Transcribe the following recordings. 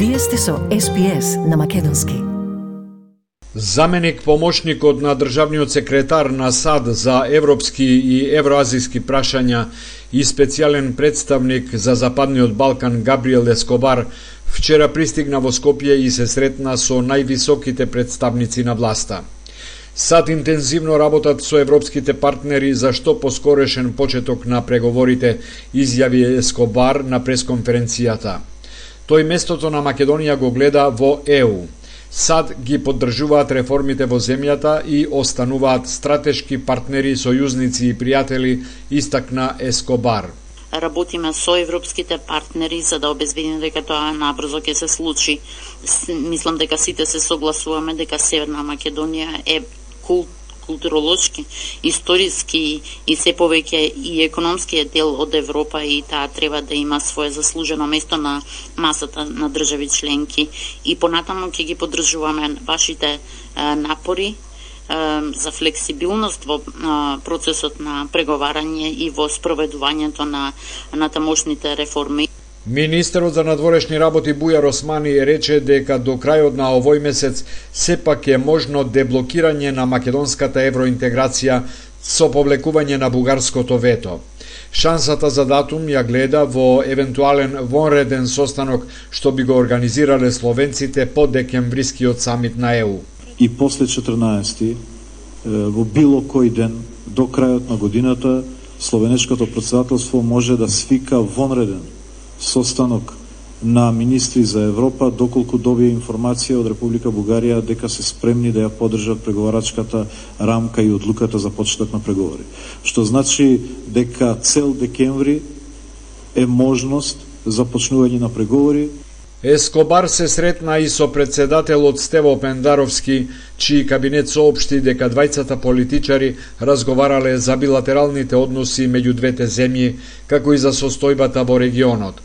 Вие сте со SPS на македонски. Заменик помошникот на државниот секретар на САД за европски и евроазиски прашања и специјален представник за Западниот Балкан Габриел Ескобар вчера пристигна во Скопје и се сретна со највисоките представници на власта. САД интензивно работат со европските партнери за што поскорешен почеток на преговорите, изјави Ескобар на пресконференцијата. Тој местото на Македонија го гледа во ЕУ. САД ги поддржуваат реформите во земјата и остануваат стратешки партнери, сојузници и пријатели, истакна Ескобар. Работиме со европските партнери за да обезбедиме дека тоа набрзо ќе се случи. Мислам дека сите се согласуваме дека Северна Македонија е културолошки, историски и се повеќе и економскиот дел од Европа и таа треба да има свое заслужено место на масата на држави членки и понатаму ќе ги поддржуваме вашите напори за флексибилност во процесот на преговарање и во спроведувањето на тамошните реформи. Министерот за надворешни работи Бујар Османи рече дека до крајот на овој месец сепак е можно деблокирање на македонската евроинтеграција со повлекување на бугарското вето. Шансата за датум ја гледа во евентуален вонреден состанок што би го организирале словенците по декемврискиот самит на ЕУ. И после 14 во било кој ден до крајот на годината словенечкото претседателство може да свика вонреден состанок на министри за Европа, доколку добие информација од Република Бугарија дека се спремни да ја поддржат преговарачката рамка и одлуката за почеток на преговори. Што значи дека цел декември е можност за почнување на преговори. Ескобар се сретна и со претседателот Стево Пендаровски, чиј кабинет соопшти дека двајцата политичари разговарале за билатералните односи меѓу двете земји, како и за состојбата во регионот.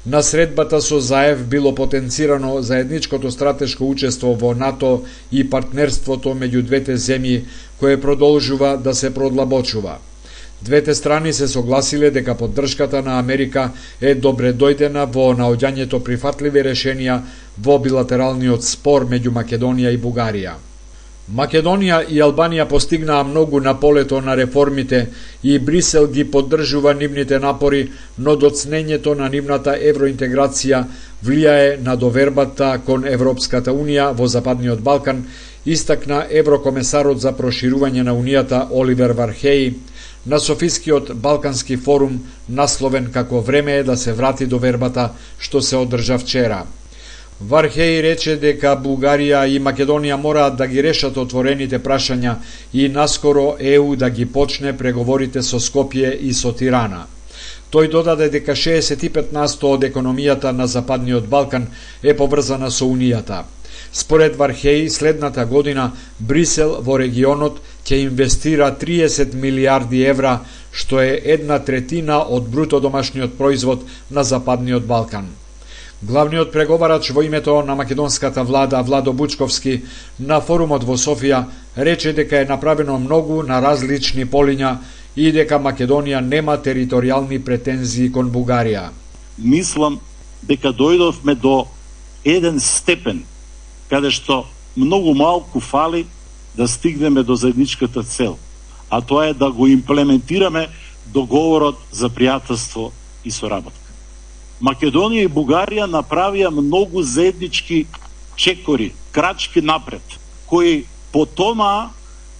На средбата со Заев било потенцирано заедничкото стратешко учество во НАТО и партнерството меѓу двете земји, кое продолжува да се продлабочува. Двете страни се согласиле дека поддршката на Америка е добре дојдена во наоѓањето прифатливи решенија во билатералниот спор меѓу Македонија и Бугарија. Македонија и Албанија постигнаа многу на полето на реформите и Брисел ги поддржува нивните напори, но доцнењето на нивната евроинтеграција влијае на довербата кон Европската Унија во Западниот Балкан, истакна еврокомесарот за проширување на Унијата Оливер Вархеи на Софискиот Балкански форум, насловен како време е да се врати довербата, што се одржа вчера. Вархеи рече дека Бугарија и Македонија мораат да ги решат отворените прашања и наскоро ЕУ да ги почне преговорите со Скопје и со Тирана. Тој додаде дека 65% од економијата на Западниот Балкан е поврзана со Унијата. Според Вархеи, следната година Брисел во регионот ќе инвестира 30 милиарди евра, што е 1/3 од бруто домашниот производ на Западниот Балкан. Главниот преговарач во името на македонската влада Владо Бучковски на форумот во Софија рече дека е направено многу на различни полиња и дека Македонија нема територијални претензии кон Бугарија. Мислам дека дојдовме до еден степен каде што многу малку фали да стигнеме до заедничката цел, а тоа е да го имплементираме договорот за пријателство и соработка. Македонија и Бугарија направија многу заеднички чекори, крачки напред, кои потонаа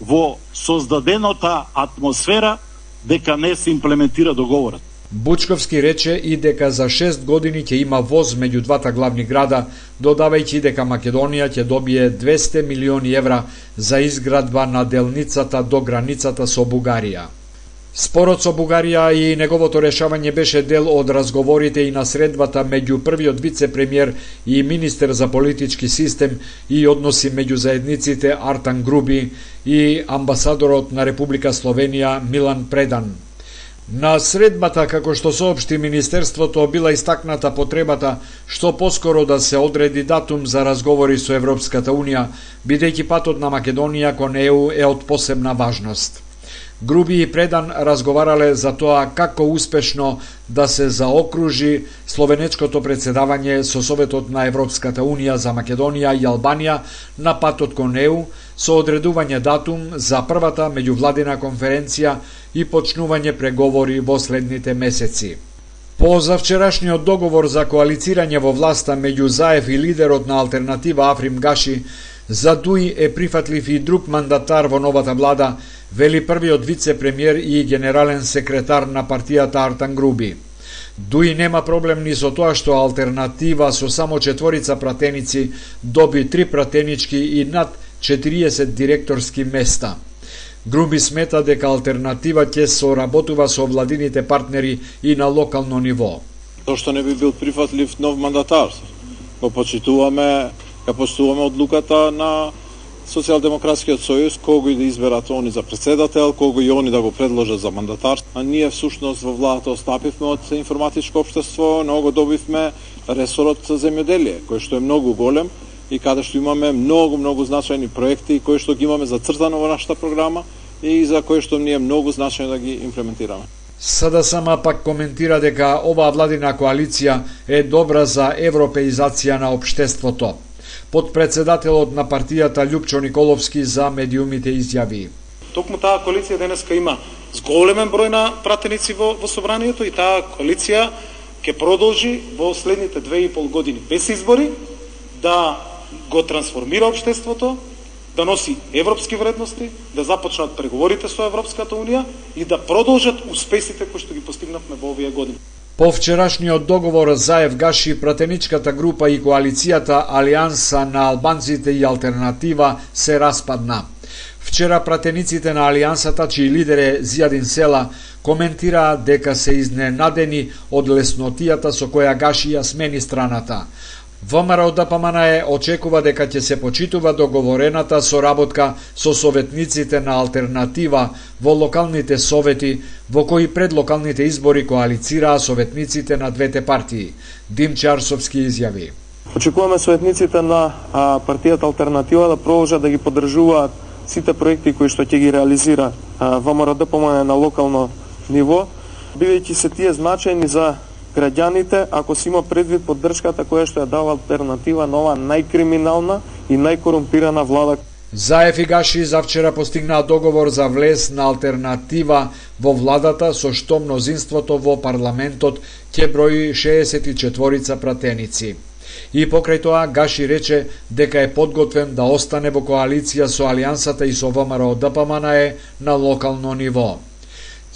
во создадената атмосфера дека не се имплементира договорот. Бучковски рече и дека за 6 години ќе има воз меѓу двата главни града, додавајќи дека Македонија ќе добие 200 милиони евра за изградба на делницата до границата со Бугарија. Спорот со Бугарија и неговото решавање беше дел од разговорите и на средбата меѓу првиот вице-премиер и министер за политички систем и односи меѓу заедниците Артан Груби и амбасадорот на Република Словенија Милан Предан. На средбата, како што соопшти Министерството, била истакната потребата што поскоро да се одреди датум за разговори со Европската Унија, бидејќи патот на Македонија кон ЕУ е од посебна важност. Груби и Предан разговарале за тоа како успешно да се заокружи словенечкото председавање со Советот на Европската Унија за Македонија и Албанија на патот кон ЕУ, со одредување датум за првата меѓувладина конференција и почнување преговори во следните месеци. По завчерашниот договор за коалицирање во власта меѓу Заев и лидерот на Алтернатива Африм Гаши, за Дуи е прифатлив и друг мандатар во новата влада, вели првиот вице-премиер и генерален секретар на партијата Артан Груби. Дуи нема проблем ни со тоа што Алтернатива со само 4 пратеници доби 3 пратенички и над 40 директорски места. Груби смета дека Алтернатива ќе соработува со владините партнери и на локално ниво. Тоа што не би бил прифатлив нов мандатар, го почитуваме, ја поштуваме одлуката на Социјалдемократскиот сојуз, кого и да изберат они за председател, кого и они да го предложат за мандатар. А ние всушност во владата остапивме од информатичко општество, но го добивме ресорот за земјоделие, кој што е многу голем и каде што имаме многу значајни проекти кои што ги имаме зацртано во нашата програма и за кои што ние многу значајно да ги имплементираме. СДСМ пак коментира дека оваа владина коалиција е добра за европеизација на општеството. Подпредседателот на партијата Љупчо Николовски за медиумите изјави: Токму таа коалиција денеска има зголемен број на пратеници во собранието и таа коалиција ќе продолжи во следните 2,5 години без избори да го трансформира општеството, да носи европски вредности, да започнат преговорите со Европската Унија и да продолжат успесите кои што ги постигнавме во овие години. По вчерашниот договор Заев Гаши, пратеничката група и коалицијата Алијанса на албанците и Алтернатива се распадна. Вчера пратениците на Алијансата, чиј лидер е Зијадин Села, коментираа дека се изненадени од леснотијата со која Гаши ја смени страната. ВМРО ДПМН очекува дека ќе се почитува договорената соработка со советниците на Алтернатива во локалните совети, во кои пред локалните избори коалицираа советниците на двете партии. Димче Арсовски изјави: Очекуваме советниците на партијата Алтернатива да продолжат да ги поддржуваат сите проекти кои што ќе ги реализира ВМРО ДПМН на локално ниво, бидејќи се тие значајни за граѓаните, ако се има предвид поддршката која што ја дава Алтернатива на ова најкриминална и најкорумпирана влада. Заев и Гаши завчера постигнаа договор за влез на Алтернатива во владата, со што мнозинството во парламентот ќе брои 64 пратеници. И покрај тоа Гаши рече дека е подготвен да остане во коалиција со Алијансата и со ВМРО ДПМН на локално ниво.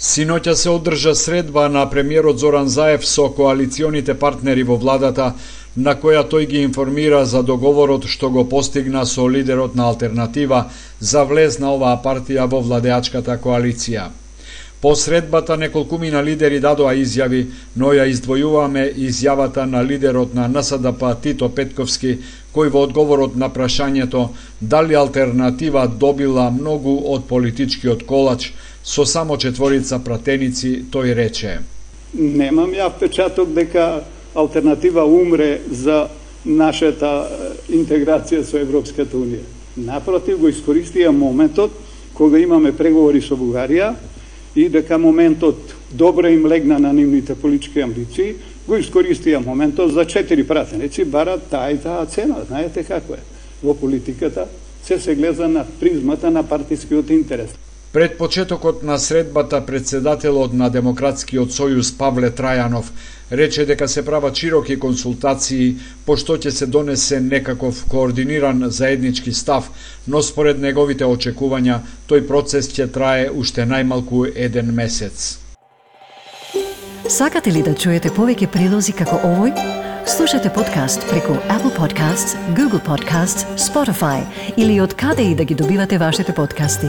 Синоќа се одржа средба на премиерот Зоран Заев со коалиционите партнери во владата, на која тој ги информира за договорот што го постигна со лидерот на Алтернатива за влез на оваа партија во владеачката коалиција. По средбата неколкумина лидери дадоа изјави, но ја издвојуваме изјавата на лидерот на НСДП Тито Петковски, кој во одговорот на прашањето дали Алтернатива добила многу од политичкиот колач со само 4 пратеници, тој рече: Немам ја впечаток дека Алтернатива умре за нашата интеграција со Европската Унија. Напротив, го искористија моментот кога имаме преговори со Бугарија и дека моментот добро им легна на нивните политички амбиции, го искористија моментот за 4 пратеници, барат таа и таа цена. Знаете како е. Во политиката се гледа на призмата на партискиот интерес. Пред почетокот на средбата, председателот на Демократскиот сојуз Павле Трајанов рече дека се прават широки консултации, пошто ќе се донесе некаков координиран заеднички став, но според неговите очекувања, тој процес ќе трае уште најмалку 1 месец. Сакате ли да чуете повеќе прилози како овој? Слушате подкаст преку Apple Podcasts, Google Podcasts, Spotify или од каде и да ги добивате вашите подкасти.